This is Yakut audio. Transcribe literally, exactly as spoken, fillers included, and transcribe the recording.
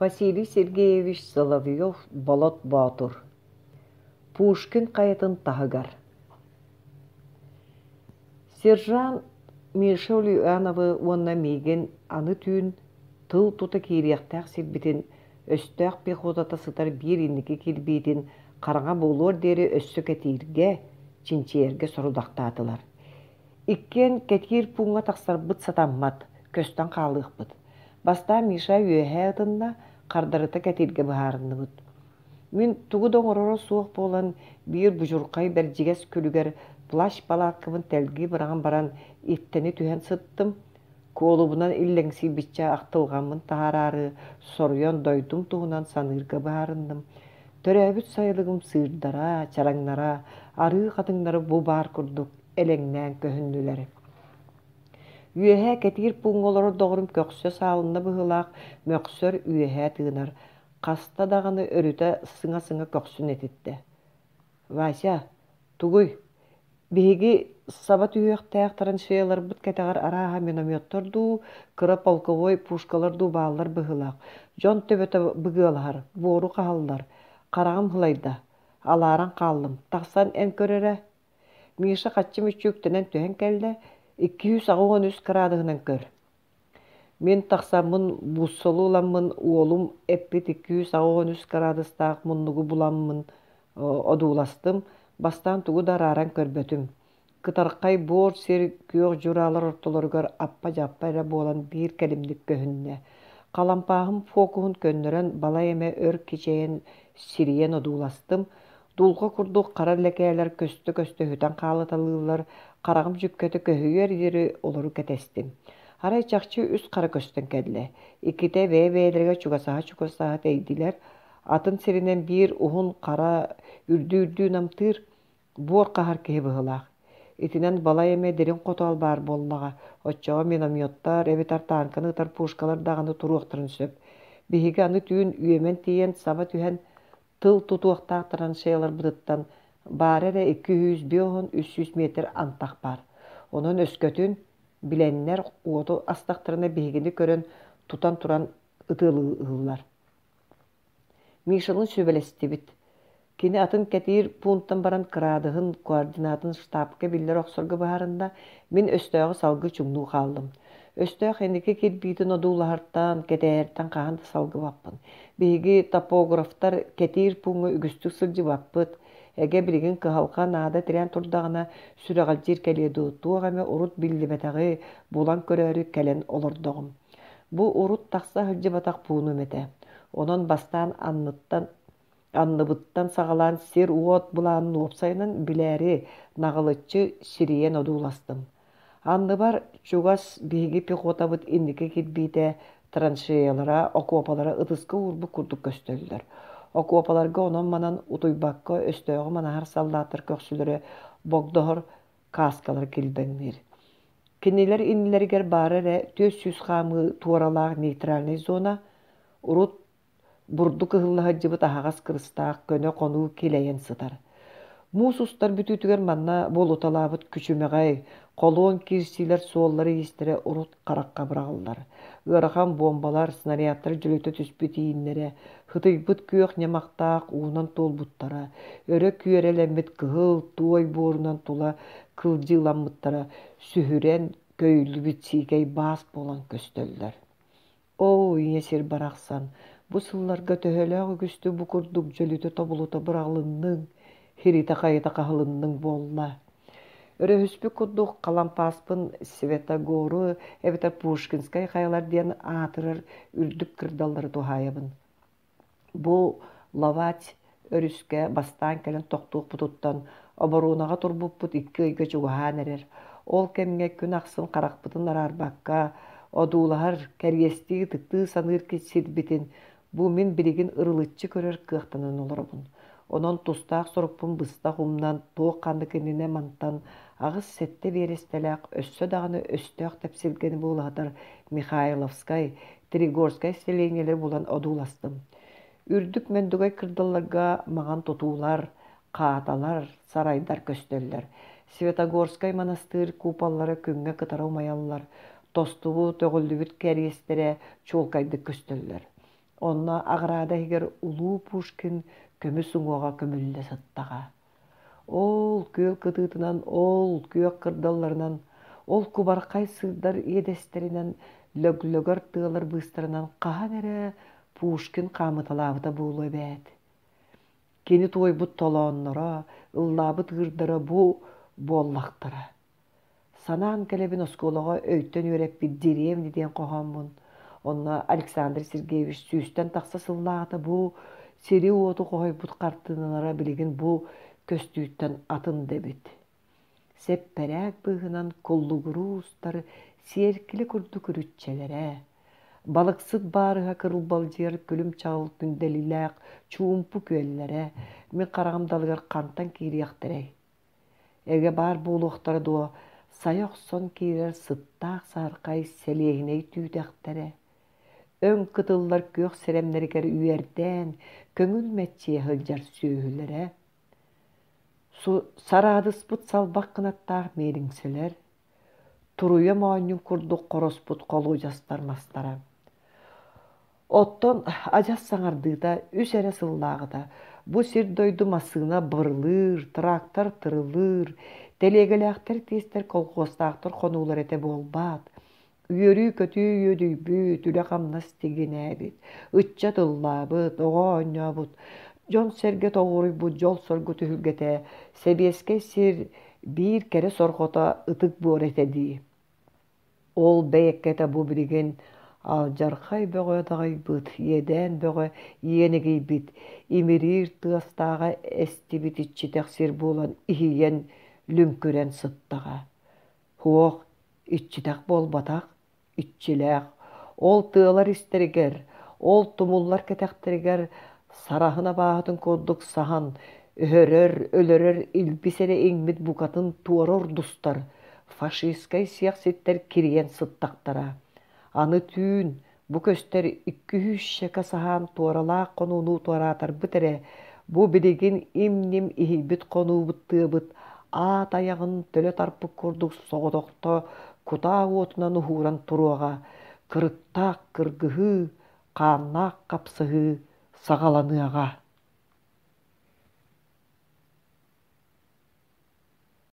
Василий Сергеевич Соловьев-Болот Боотур. Пушкин хайатын таһыгар. Сержант Миша Ульяновы уонна миигин аны түүн тыл тута киириэхтээх сирбитин, өстөөх пехотата сытар биир инники кирбиитин хараҥа буолуор диэри өссө кэтииргэ, чинчийэргэ сорудахтаатылар. Иккиэн кэтиир пууҥҥа тахсарбыт сатаммат, көстөн хаалыахпыт. Бастаан Миша үөһээ ытынна, хардарыта кэтииргэ быһаарынныбыт. Мин тугу да оҥороро суох буолан, биир будьурхай бэрдьигэс күлүгэр плащ-палаткабын тэлгии быраҕан баран, иттэни түһэн сыттым. Куолубунан иллэҥсийбиччэ ахтылҕаммын таһаараары, соруйан дойдум туһунан саныырга быһаарынным. Төрөөбүт сайылыгым сыырдара, чараҥнара, арыы хатыҥнара бу баар курдук элэҥнээн көһүннүлэр. Үөһээ кэтиир пууҥҥа олорор доҕорум көхсө саалынна быһыылаах, мөхсөр, үөһээ тыынар. Хаста даҕаны өрүтэ сыҥа-сыҥа көхсүн этиттэ. «Вася, тугуй, биһиги саба түһүөхтээх траншеяларбыт кэтэҕэр арааһа минометтар дуу, кыра полковой пушкалар дуу бааллар быһыылаах. Дьон төбөтө быгыалаһар, буору хаһаллар. Хараҕым һылайда, алааран хааллым. Тахсан эн көр эрэ». Миша хаччы-мүччү үктэнэн түһэн кэллэ, икки сүүс аҕыс уон үс кыраадыһынан көр. Мин тахсаммын буссолу ыламмын уолум эппит икки сүүс аҕыс уон үс кыраадыстаах муннугу буламмын одууластым, бастаан тугу да арааран көрбөтүм. Кытархай буор сир күөх дьураалар ортолоругар аппа-дьаппа эрэ буолан биир кэлимник көһүннэ. Халампааһым фокуһун көннөрөн балай эмэ өр кичэйэн сирийэн одууластым. Дулҕа курдук хара лэкээлэр көстө-көстө сүтэн хаалыталыыллар, хараҕым дьүккэтэ көһүйүөр диэри олору кэтэстим. Арай чахчы үс хара көстөн кэллэ. Иккитэ бэйэ-бэйэлэригэр чугасаһа-чугасаһа тэйдилэр, атын сиринэн биир уһун хара үрдүү-үрдүү намтыыр, буор хаһар киһи быһыылаах. Итинэн балай эмэ дириҥ хотоол баар буоллаҕа, оччоҕо минометтар эбэтэр тааҥканы ытар пушкалар даҕаны туруохтарын сөп. Биһиги аны түүн үөмэн тиийэн саба түһэн тыл тутуохтаах траншеяларбытыттан баара эрэ икки сүүс биэс уон үс сүүс метр антах баар. Онон өскөтүн билэннэр уоту астахтарына биһигини көрөн тутан туран ытыалыыллар. Мишалыын сүбэлэстибит. Кини атын кэтиир пуунтан баран кыраадыһын, координатын штабка биллэрэ охсорго быһаарынна, мин өстөөҕү салгыы чуҥнуу хааллым. Өстөөх инники кирбиитин одуулаһартан, кэтээһэртэн хаһан да салгыбаппын. Биһиги топографтар кэтиир пууҥҥа үгүстүк сылдьыбаппыт. Эгэ билигин кыһалҕа наада тирээн турдаҕына сүрэҕэлдьиир кэлиэ дуу, туох эмэ урут биллибэтэҕи булан көрөөрү кэлэн олордоҕум. Бу урут тахса сылдьыбатах пуунум этэ. Онон бастаан анныттан анныбыттан саҕалаан сир-уот былаанын уопсайынан билээри наҕылыччы сирийэн одууластым. Анныбар чугас биһиги пехотабыт инники кирбиитэ, траншеялара, окуопалара ытыска уурбут курдук көстөллөр. Окуопаларга онон-манан утуйбакка өстөөҕү манаһар саллааттар көхсүлэрэ богдоһор кааскалара килбэҥниир. Кинилэр иннилэригэр баара эрэ түөрт сүүс хаамыы туоралаах нейтральнай зона, урут бурдук ыһылла сылдьыбыт аһаҕас кырыстаах көнө хонуу килэйэн сытар. Муус устар бүтүүтүгэр манна буолуталаабыт күчүмэҕэй, холуон киирсиилэр суоллара-иистэрэ урут харахха быраҕыллар. Ыарахан буомбалар, снарядтар дьөлүтэ түспүт ииннэрэ, һытыйбыт күөх ньамахтаах уунан туолбуттара, өрө күөрэлэммит кыһыл туой буорунан тула кылдьыыламмыттара сүһүрэн, көйүллүбүт сиикэй баас буолан көстөллөр. Оо, ийэ сир барахсан, бу сылларга төһөлөөх үгүстүк бу курдук дьөлүтэ-тобулута быраҕылынныҥ, хиритэ-хайыта хаһылынныҥ буолла. Өрөһүспүт курдук халампааспын Светогору эбэтэр Пушкинскай хайалар диэн аатырар үрдүк кырдаллары туһаайабын. Бу Ловать өрүскэ бастаан кэлэн тохтуохпутуттан оборуонаҕа турбуппут икки ыйга чугаһаан эрэр. Ол кэмҥэ күн ахсын харахпытын араарбакка, одуулаһар, кэриэстии, ытыктыы саныыр сирбитин бу мин билигин ырылыччы көрөр кыахтанан олоробун. Онон тустаах сорукпун быстах умнан, туох-ханнык иннинэ мантан аҕыс-сэттэ биэрэстэлээх өссө даҕаны өстөөх тэпсилгэни буулаһытар Михайловскай, Тригорскай сэлиэнньэлэри булан одууластым. Үрдүк мөндүгэй кырдалларга маҥан тутуулар, хааталар, сарайдар көстөллөр. Светогорскай манастыыр куполлара күҥҥэ кытара умайаллар, тостубут, өҕүллүбүт кэриэстэрэ чуолкайдык көстөллөр. Онно аҕыраада иһигэр улуу Пушкин көмүс уҥуоҕа көмүллэ сыттаҕа. Ол күөл кытыытынан, ол күөх кырдалларынан, ол кубархай сыырдар иэдэстэринэн, лөглөгөр тыалар быыстарынан хаһан эрэ Пушкин хаамыталаабыта буолуо эбээт. Кини туойбут толоонноро, ыллаабыт ыырдара бу буоллахтара. Санаан кэлэбин оскуолаҕа өйтөн үөрэппит «Деревня» диэн хоһооммун. Онно Александр Сергеевич сүүстэн тахса сыллааҕыта бу сири-уоту хоһуйбут хартыыналара билигин бу көстүүттэн атын да эбит. Сэппэрээк быыһынан куллугуруу устар сиэркилэ курдук үрүччэлэрэ, балыксыт баарыһа кырылбалдьыйар күлүм-чаҕыл күндэлилээх чуумпу күөллэрэ мин хараҕым далыгар хантан киириэхтэрэй? Эгэ баар буолуохтара дуо, сайа охсон киирэр сыттаах саһархай сэлиэһинэй түүтэхтэрэ, өҥ кытыллар күөх сирэмнэригэр үөрдээн, көҥүл мэччийэ сылдьар сүөһүлэрэ, сараадыспыт салбах кынаттаах миэлиҥсэлэр, туруйа моонньун курдук хороспут холуодьастар мастара. Оттон адьас саҥардыыта үс эрэ сыллааҕыта бу сир-дойду массыына бырылыыр, трактор тырылыыр, тэлиэгэлээхтэр тиэстэр колхуостаахтар хонуулар этэ буолбаат. Үөрүү-көтүү үөдүйбүт, үлэ-хамнас тигинээбит, ыччат ыллаабыт, оҕо оонньообут, дьон-сэргэ тоҕуоруйбут дьол-соргу түһүлгэтэ, сэбиэскэй сир биир кэрэ сорҕото ытык буор этэ дии. Ол бэйэккэтэ бу билигин алдьархай бөҕө даҕайбыт, иэдээн бөҕө иэнигийбит, имириир тыастааҕа эстибит иччитэх сир буолан иһийэн, лүҥкүрэн сыттаҕа. Суох, иччитэх буолбатах, иччилээх. Ол тыалар истэригэр, ол тумуллар кэтэхтэригэр сараһын абааһытын курдук саһан, өһөрөр, өлөрөр илбис эрэ иҥмит букатын туора урдустар, фашистскай сиэхситтэр кирийэн сыттахтара. Аны түүн бу көстөр икки сүүсчэкэ саһаан туоралаах хонууну туораатарбыт эрэ, бу билигин им-ньим иһийбит хонуубут тыабыт аат айаҕын төлө тарпыт курдук соҕотохто кутаа уотунан уһууран туруоҕа, кырыктаах кыргыһыы, хааннаах хапсыһыы саҕаланыаҕа.